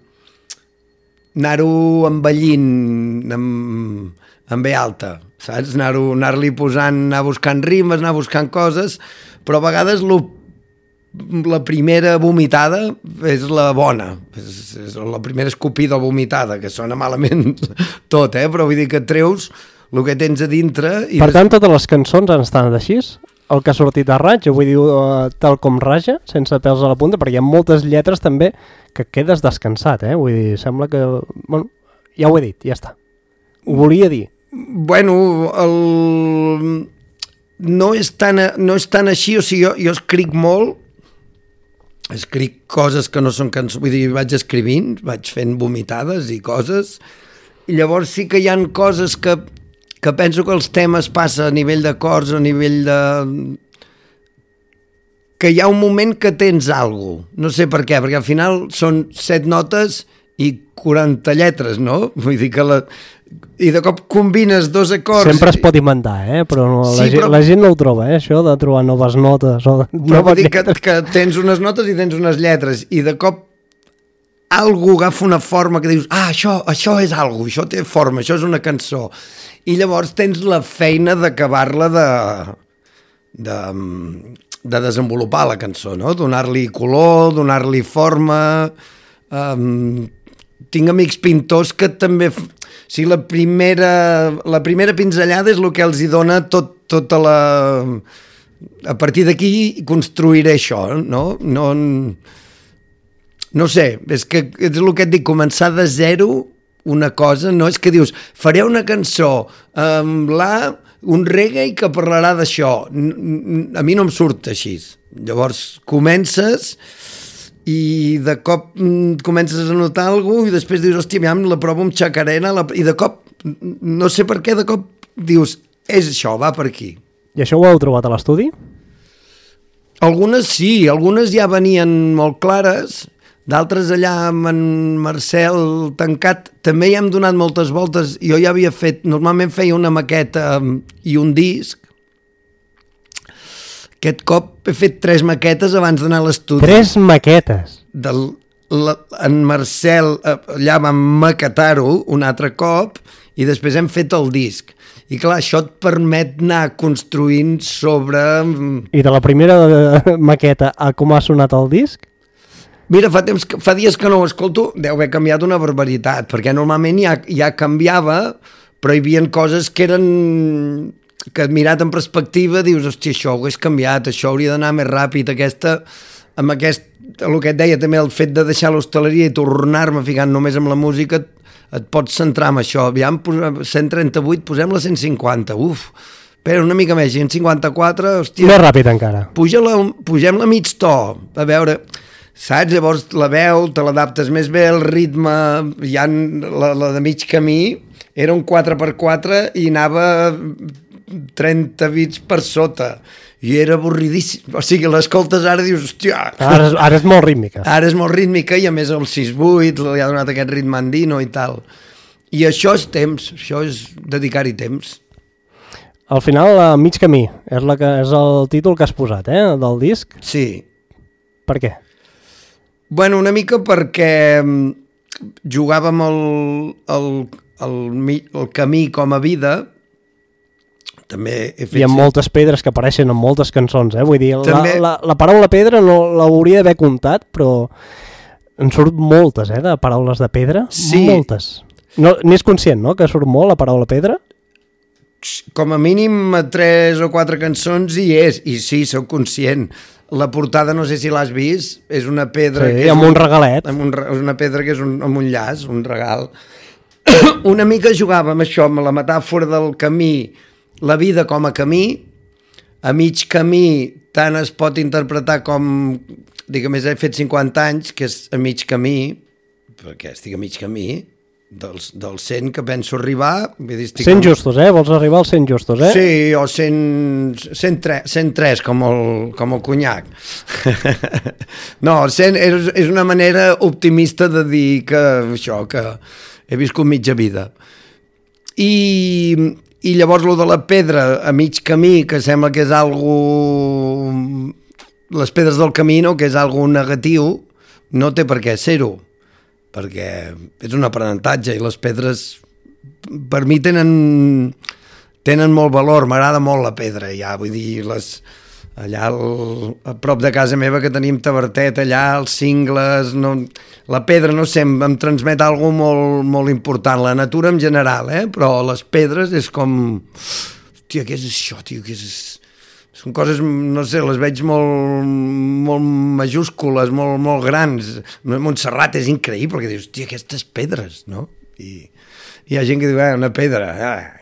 envellint en ve alta, saps? Anar-li posant, anar buscant rimes, anar buscant coses, però a vegades la primera vomitada és la bona, és la primera escopida o vomitada, que sona malament tot, però vull dir que treus el que tens a dintre... Per tant, totes les cançons han estat així? El que ha sortit a raig, vull dir, tal com raja, sense pèls a la punta, perquè hi ha moltes lletres també que quedes descansat, vull dir, sembla que... Bueno, ja ho he dit, ja està. Ho volia dir. Bueno, no és tan així, o sigui, jo escric molt, escric coses que no són cançons, vull dir, vaig escrivint, vaig fent vomitades i coses, i llavors sí que hi ha coses que penso que els temes passen a nivell d'acords, a nivell de... que hi ha un moment que tens alguna cosa, no sé per què, perquè al final són 7 notes i 40 lletres, no? Vull dir que i de cop combines 2 acords... Sempre es pot inventar, però la gent no ho troba, això de trobar noves notes o però vull dir que tens unes notes i tens unes lletres i de cop algú agafa una forma que dius, això és algo, això té forma, això és una cançó, i llavors tens la feina d'acabar-la de desenvolupar la cançó, no? Donar-li color, donar-li forma... Tinc amics pintors que també... Si la primera pinzellada és el que els hi dona tota la... A partir d'aquí construiré això, no? No sé, és el que et dic, començar de zero una cosa, no és que dius, faré una cançó amb un reggae que parlarà d'això. A mi no em surt així. Llavors comences... i de cop comences a notar alguna cosa i després dius, hòstia, la provo amb xacarena i de cop, no sé per què, de cop dius, és això, va per aquí. I això ho heu trobat a l'estudi? Algunes sí, algunes ja venien molt clares, d'altres allà amb en Marcel tancat, també hi hem donat moltes voltes, jo ja havia fet, normalment feia una maqueta i un disc. Aquest cop he fet 3 maquetes abans d'anar a l'estudi. 3 maquetes? En Marcel allà vam maquetar-ho un altre cop i després hem fet el disc. I clar, això et permet anar construint sobre... I de la primera maqueta a com ha sonat el disc? Mira, fa dies que no ho escolto, deu haver canviat una barbaritat, perquè normalment ja canviava, però hi havia coses que eren... que mirat en perspectiva dius, hòstia, això ho hagués canviat, això hauria d'anar més ràpid, amb aquest, el que et deia també, el fet de deixar l'hostaleria i tornar-me ficant només amb la música, et pots centrar en això. Aviam, 138, posem la 150, espera, una mica més, 154, hòstia... Més ràpid encara. Pugem-la mig to, a veure... Saps? Llavors la veu, te l'adaptes més bé, el ritme, ja la de mig camí, era un 4x4 i anava 30 bits per sota. I era avorridíssim. O sigui, l'escoltes ara i dius, hòstia... Ara és molt rítmica. Ara és molt rítmica i a més el 6-8 li ha donat aquest ritme andino i tal. I això és temps, això és dedicar-hi temps. Al final, mig camí, és el títol que has posat, del disc. Sí. Per què? Bueno, una mica perquè jugàvem el camí com a vida. També he fet... Hi ha moltes pedres que apareixen en moltes cançons, Vull dir, També... la paraula pedra no l'hauria d'haver comptat, però en surt moltes, de paraules de pedra. Sí. Moltes. No, n'és conscient, no?, que surt molt la paraula pedra? Com a mínim a 3 o 4 cançons hi és, i sí, sóc conscient. La portada, no sé si l'has vist, és una pedra... Sí, amb un regalet. És una pedra que és amb un llaç, un regal. Una mica jugava amb això, amb la metàfora del camí, la vida com a camí, a mig camí tant es pot interpretar com, diguem, he fet 50 anys, que és a mig camí, perquè estic a mig camí, del 100 que penso arribar... 100 justos, Vols arribar als 100 justos, Sí, o 103, com el conyac. No, 100 és una manera optimista de dir que això, que he viscut mitja vida. I llavors lo de la pedra a mig camí, que sembla que és algo... Les pedres del camí, que és algo negatiu, no té per què ser-ho, perquè és un aprenentatge i les pedres per mi tenen molt valor, m'agrada molt la pedra ja, vull dir, allà a prop de casa meva que tenim tavertet allà, els cingles, la pedra no sé, em transmet alguna molt, molt important, la natura en general, però les pedres és com, hòstia, què és això, tio, què és... Són coses, no sé, les veig molt, molt majúscules, molt, molt grans. Montserrat és increïble, perquè dius, hòstia, aquestes pedres, no? I hi ha gent que diu, una pedra,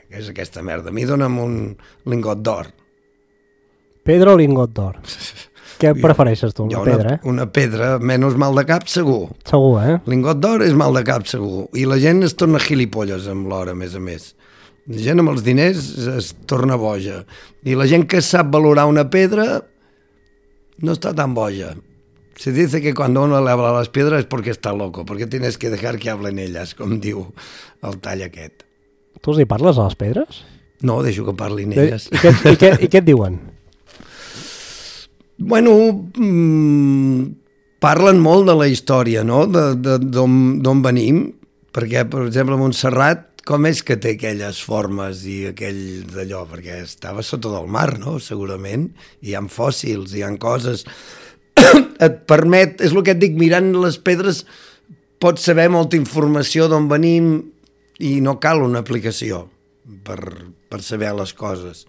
què és aquesta merda? A mi dona'm un lingot d'or. Pedra o lingot d'or? Què prefereixes tu, una pedra, Una pedra, menys mal de cap, segur. Segur, Lingot d'or és mal de cap, segur. I la gent es torna gilipolles amb l'or, a més. La gent amb els diners es torna boja. I la gent que sap valorar una pedra no està tan boja. Se dice que cuando uno le habla a las piedras es porque está loco, porque tienes que dejar que hablen ellas, com diu el tall aquest. Tu els hi parles a les pedres? No, deixo que parlin elles. I què et diuen? Bueno, parlen molt de la història, no? D'on venim, perquè, per exemple, Montserrat, com és que té aquelles formes i aquell d'allò? Perquè estava sota del mar, no? Segurament. Hi ha fòssils, hi ha coses... Et permet, és el que et dic, mirant les pedres pots saber molta informació d'on venim i no cal una aplicació per saber les coses.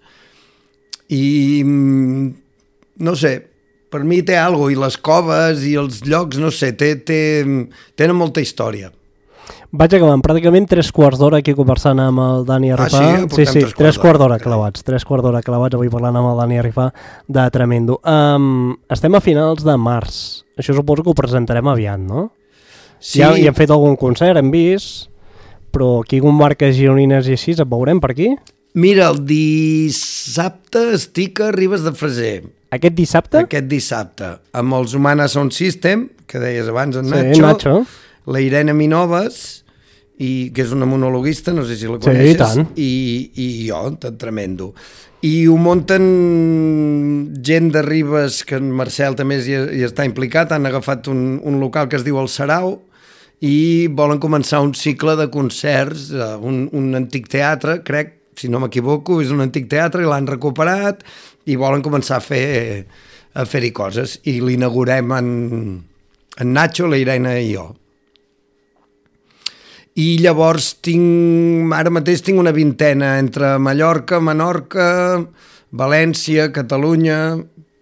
I no sé, per mi té alguna cosa, i les coves i els llocs, no sé, tenen molta història. Vaig acabant, pràcticament 3/4 d'hora aquí conversant amb el Dani Arifà. Sí, 3/4 d'hora clavats, 3/4 d'hora clavats, avui parlant amb el Dani Arifà de Tremendo. Estem a finals de març, això suposo que ho presentarem aviat, no? Sí. Ja hi hem fet algun concert, hem vist, però aquí comarques gironines i així, et veurem per aquí? Mira, el dissabte estic a Ribes de Freser. Aquest dissabte? Aquest dissabte, amb els Humana Sound System, que deies abans, en Nacho. La Irene Minoves, que és una monologuista, no sé si la coneixes, sí, i tant. I jo, Tremendo. I ho munten gent de Ribes, que en Marcel també hi està implicat, han agafat un local que es diu El Sarau, i volen començar un cicle de concerts, un antic teatre, crec, si no m'equivoco, és un antic teatre, i l'han recuperat, i volen començar a fer-hi coses, i l'inaugurem en Nacho, la Irene i jo. i llavors ara mateix tinc una vintena entre Mallorca, Menorca, València, Catalunya...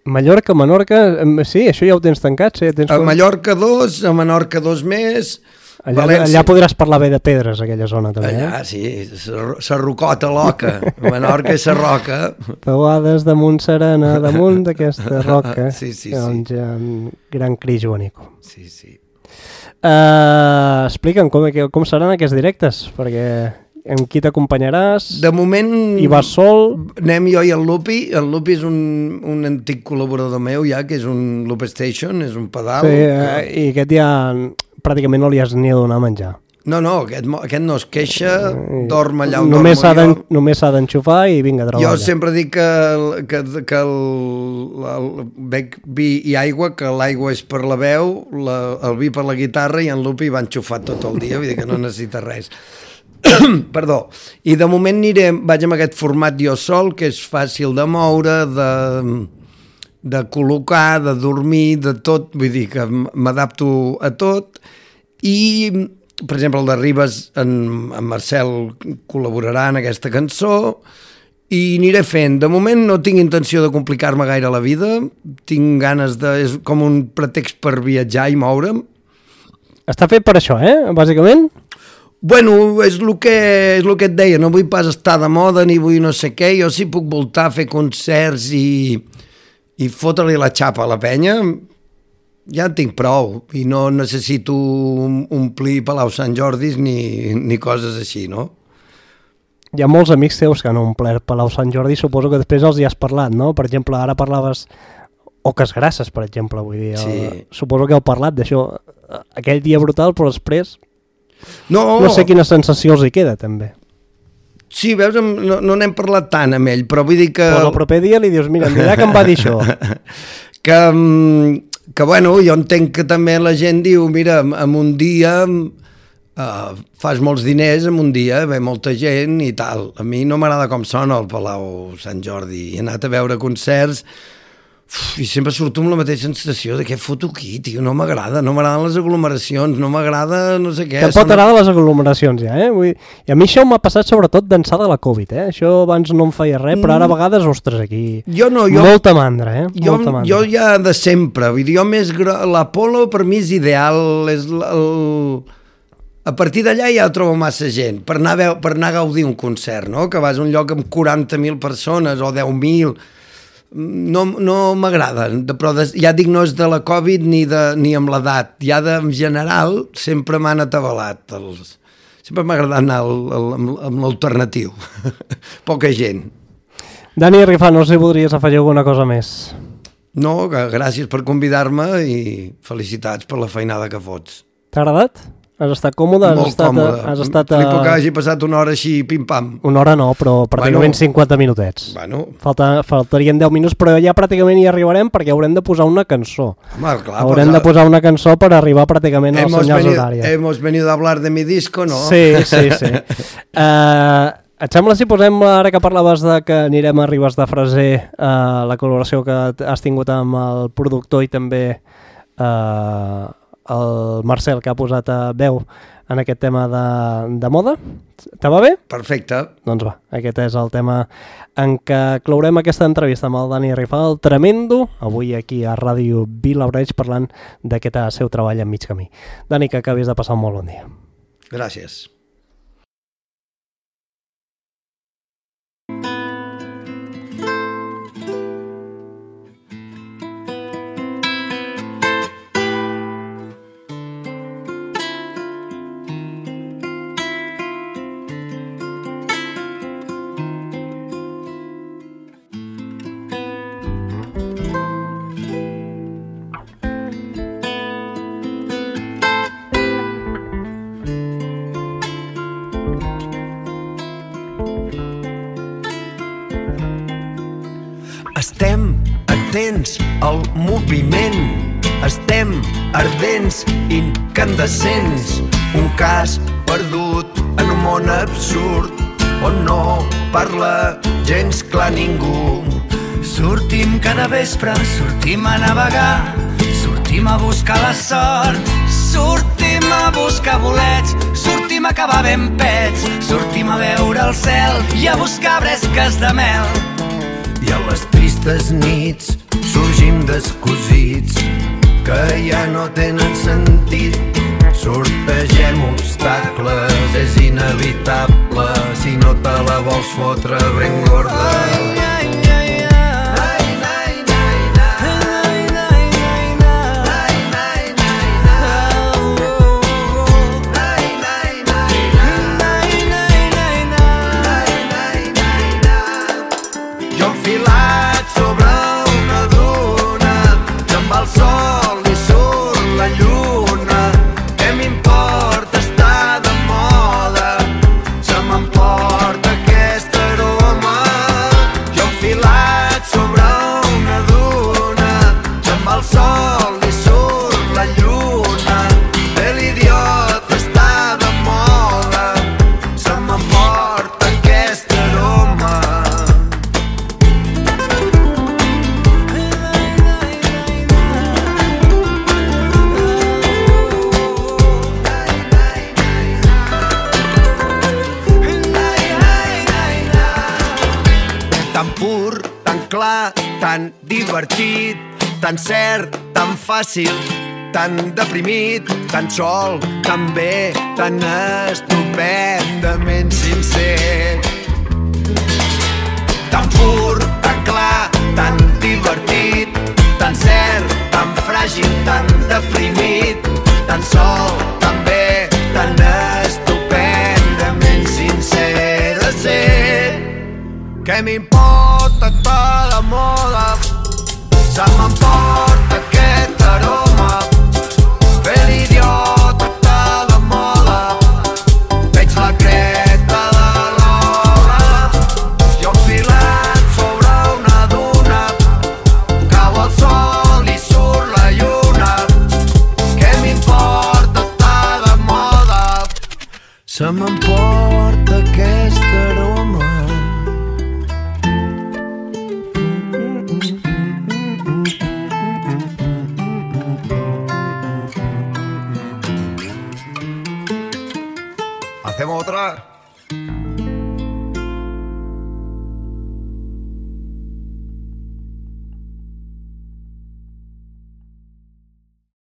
Mallorca, Menorca, sí, això ja ho tens tancat, sí. A Mallorca 2, a Menorca 2 més... Allà podràs parlar bé de pedres, aquella zona, també. Allà, sí, sa rocota loca, Menorca i sa roca. Peuades damunt serena, damunt d'aquesta roca. Sí. Doncs gran cris, Joanico. Sí. Explica'm com seran aquests directes, perquè amb qui t'acompanyaràs? De moment... I vas sol? Anem jo i el Lupi. El Lupi és un antic col·laborador meu ja, que és un Loop Station, és un pedal. Sí, i aquest ja pràcticament no li has ni a donar a menjar. No, aquest no es queixa, dorm allà on només dormo jo. Només s'ha d'enxufar i vinga a treballar. Jo sempre dic que el bec vi i aigua, que l'aigua és per la veu, el vi per la guitarra i en Lupi va enxufat tot el dia, vull dir que no necessita res. Perdó. I de moment vaig amb aquest format jo sol, que és fàcil de moure, de col·locar, de dormir, de tot, vull dir que m'adapto a tot. I, per exemple, el de Ribes, en Marcel col·laborarà en aquesta cançó i aniré fent. De moment no tinc intenció de complicar-me gaire la vida, tinc ganes és com un pretext per viatjar i moure'm. Està fet per això, bàsicament? Bueno, és el que et deia, no vull pas estar de moda ni vull no sé què, jo sí puc voltar a fer concerts i fotre-li la xapa a la penya, ja en tinc prou, i no necessito omplir Palau Sant Jordis ni coses així, no? Hi ha molts amics teus que han omplert Palau Sant Jordi, suposo que després els hi has parlat, no? Per exemple, ara parlaves Oques Grasses, per exemple, vull dir, sí. Suposo que heu parlat d'això, aquell dia brutal, però després no sé quina sensació els hi queda, també. Sí, veus, no n'hem parlat tant amb ell, però vull dir que... Pues el proper dia li dius, mira, em dirà que em va dir això. que bueno, jo entenc que també la gent diu, mira, en un dia fas molts diners, en un dia ve molta gent i tal. A mi no m'agrada com sona el Palau Sant Jordi. He anat a veure concerts i sempre surto amb la mateixa sensació de què foto aquí, tio, no m'agraden les aglomeracions, no m'agrada no sé què. Tampoc t'agraden les aglomeracions ja, I a mi això m'ha passat sobretot d'ençà de la Covid, Això abans no em feia res, però ara a vegades, ostres, aquí... Molta mandra, Molta mandra. Jo ja de sempre, vull dir, l'Apolo per mi és ideal, a partir d'allà ja trobo massa gent, per anar a gaudir un concert, no? Que vas a un lloc amb 40.000 persones o 10.000... No m'agrada, però ja dic, no és de la Covid ni amb l'edat, ja en general sempre m'han atabalat, sempre m'ha agradat anar amb l'alternatiu, poca gent. Dani Rifà, no sé si voldries afegir alguna cosa més? No, gràcies per convidar-me i felicitats per la feinada que fots. T'ha agradat? Has estat còmode? Molt còmode. Flipo que hagi passat una hora així, pim-pam. Una hora no, però pràcticament 50 minutets. Bueno. Faltarien 10 minuts, però ja pràcticament hi arribarem perquè haurem de posar una cançó. Home, clar, haurem de posar una cançó per arribar pràcticament als senyals horàries. Hemos venido a hablar de mi disco, no? Sí. Et sembla si posem, ara que parlaves de que anirem a Ribes de Freser, la col·laboració que has tingut amb el productor i també el Marcel, que ha posat veu en aquest tema de moda? Te va bé? Perfecte. Doncs va, aquest és el tema en què clourem aquesta entrevista amb el Dani Rifà, el Tremendo, avui aquí a Ràdio Vilablareix parlant d'aquest seu treball en mig camí. Dani, que acabis de passar un molt bon dia. Gràcies. Estem atents al moviment, estem ardents, incandescents, un cas perdut en un món absurd on no parla gens clar ningú. Sortim cada vespre, sortim a navegar, sortim a buscar la sort, Sortim a buscar bolets, sortim a acabar ben pets, sortim a veure el cel i a buscar bresques de mel. I a les tristes nits sorgim descosits que ja no tenen sentit. Sortegem obstacles, és inevitable si no te la vols fotre ben gorda. Tan divertit, tan cert, tan fàcil, tan deprimit, tan sol, tan bé, tan estupendament sincer. Tan pur, tan clar, tan divertit, tan cert, tan fràgil, tan deprimit, tan sol, tan bé, tan estupendament sincer de ser. Què m'importa tota la moda? Se m'emporta aquest aroma. Fer l'idiota de la moda. Veig la creta de l'obra. Jo enfilat sobre una duna. Cau el sol i surt la lluna. Què m'importa tota la moda? Se m'emporta aquest aroma. Hacemos otra.